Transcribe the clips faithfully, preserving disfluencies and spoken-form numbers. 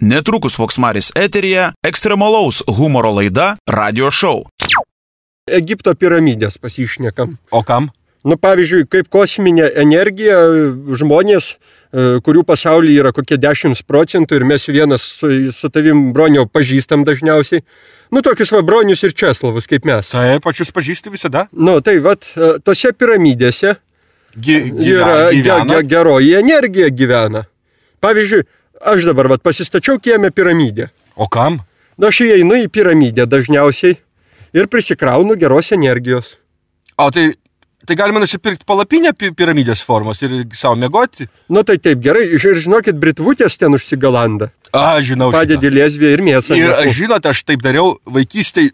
Netrukus Voksmaris eteryje ekstremalaus humoro laida Radio Show. Egipto piramidės pasišnekam. O kam? Nu, pavyzdžiui, kaip kosminė energija, žmonės, kurių pasaulyje yra kokie dešimt procentų ir mes vienas su, su tavim, Broniau, pažįstam dažniausiai. Nu, tokius va Bronius ir Česlavus, kaip mes. Taip, pačius pažįsti visada. Nu, tai vat, tose piramidėse Gi, gyvena, yra gyvena. ge, ge, geroji energija gyvena. Pavyzdžiui, aš dabar vat, pasistačiau kieme piramidę. O kam? Nu, aš įeinu į piramidę dažniausiai ir prisikraunu geros energijos. O tai, tai galima nusipirkti palapinę piramidės formos ir savo mėgoti? Nu, tai taip gerai. Ir žinokit, britvutės ten užsigalanda. A, žinau šitą. Padedi lėsvį ir mėsą. Ir aš žinot, aš taip dariau vaikystėj,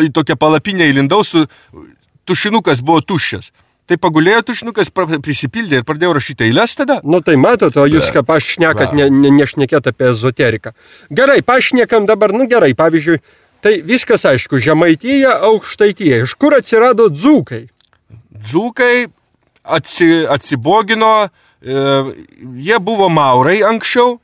į tokią palapinę įlindau su tušinukas buvo tuščias. Tai pagulėjo tušinukas, prisipildė ir pradėjau rašyti eiles tada. Nu tai matot, o jūs ką pašnekat, ne, ne, nešnekėt apie ezoteriką. Gerai, pašnekam dabar, nu gerai, pavyzdžiui, tai viskas aišku, Žemaitija, Aukštaitija. Iš kur atsirado dzūkai? Dzūkai atsi, atsibogino, e, jie buvo maurai anksčiau.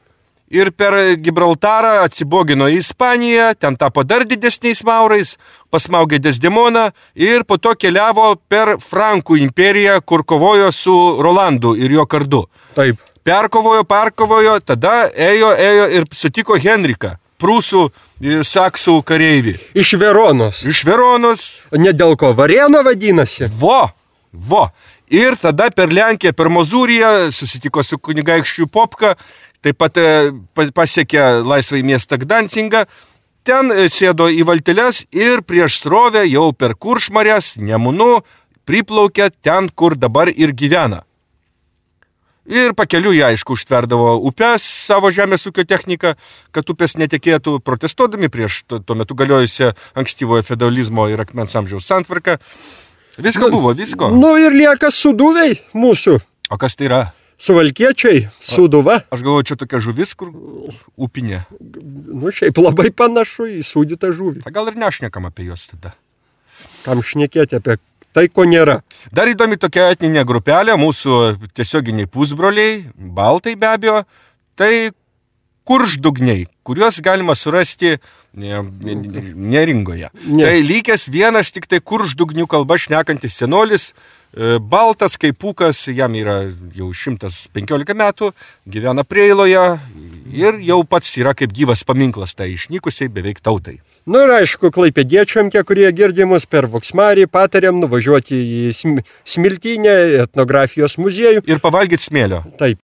Ir per Gibraltarą atsibogino į Ispaniją, ten tapo dar didesniais maurais, pasmaugė Desdemoną ir po to keliavo per Frankų imperiją, kur kovojo su Rolandu ir jo kardu. Taip. Perkovojo, perkovojo, tada ėjo, ėjo ir sutiko Henriką, prūsų, saksų kareivį. Iš Veronos. Iš Veronos. Ne dėl ko Varėna vadinasi. Vo, vo. Ir tada per Lenkiją, per Mozūriją susitiko su kunigaikščiu Popka. Taip pat pasiekė laisvai miestą Gdancingą, ten sėdo į valteles ir prieš srovę jau per Kuršmarės, Nemunu, priplaukė ten, kur dabar ir gyvena. Ir pakeliu jie, aišku, užtverdavo upes savo žemės ūkio techniką, kad upės netekėtų, protestuodami prieš tuo metu galiojusią ankstyvojo feudalizmo ir akmens amžiaus santvarką. Visko buvo, visko. Nu ir lieka suduviai mūsų. O kas tai yra? Suvalkiečiai, suduva. Aš galvoju, čia tokia žuvis, kur upinė. Nu, šiaip labai panašu į sūdytą žuvį. Ta gal ir nešnekam apie juos tada. Kam šnekėti apie tai, ko nėra. Dar įdomi tokia etninė grupelė, mūsų tiesioginiai pusbroliai, baltai be abejo, tai kurždugniai, kuriuos galima surasti ne, ne, neringoje. Ne. Tai lykęs vienas tik tai kurždugnių kalba šnekantis senolis, baltas kaip pūkas, jam yra jau šimtas penkiolika metų, gyvena Preiloje ir jau pats yra kaip gyvas paminklas tai išnykusiai beveik tautai. Nu ir aišku, klaipėdiečiam, tie, kurie girdimus per Voksmarį, patariam nuvažiuoti į Smiltynę, etnografijos muziejų. Ir pavalgyti smėlio. Taip.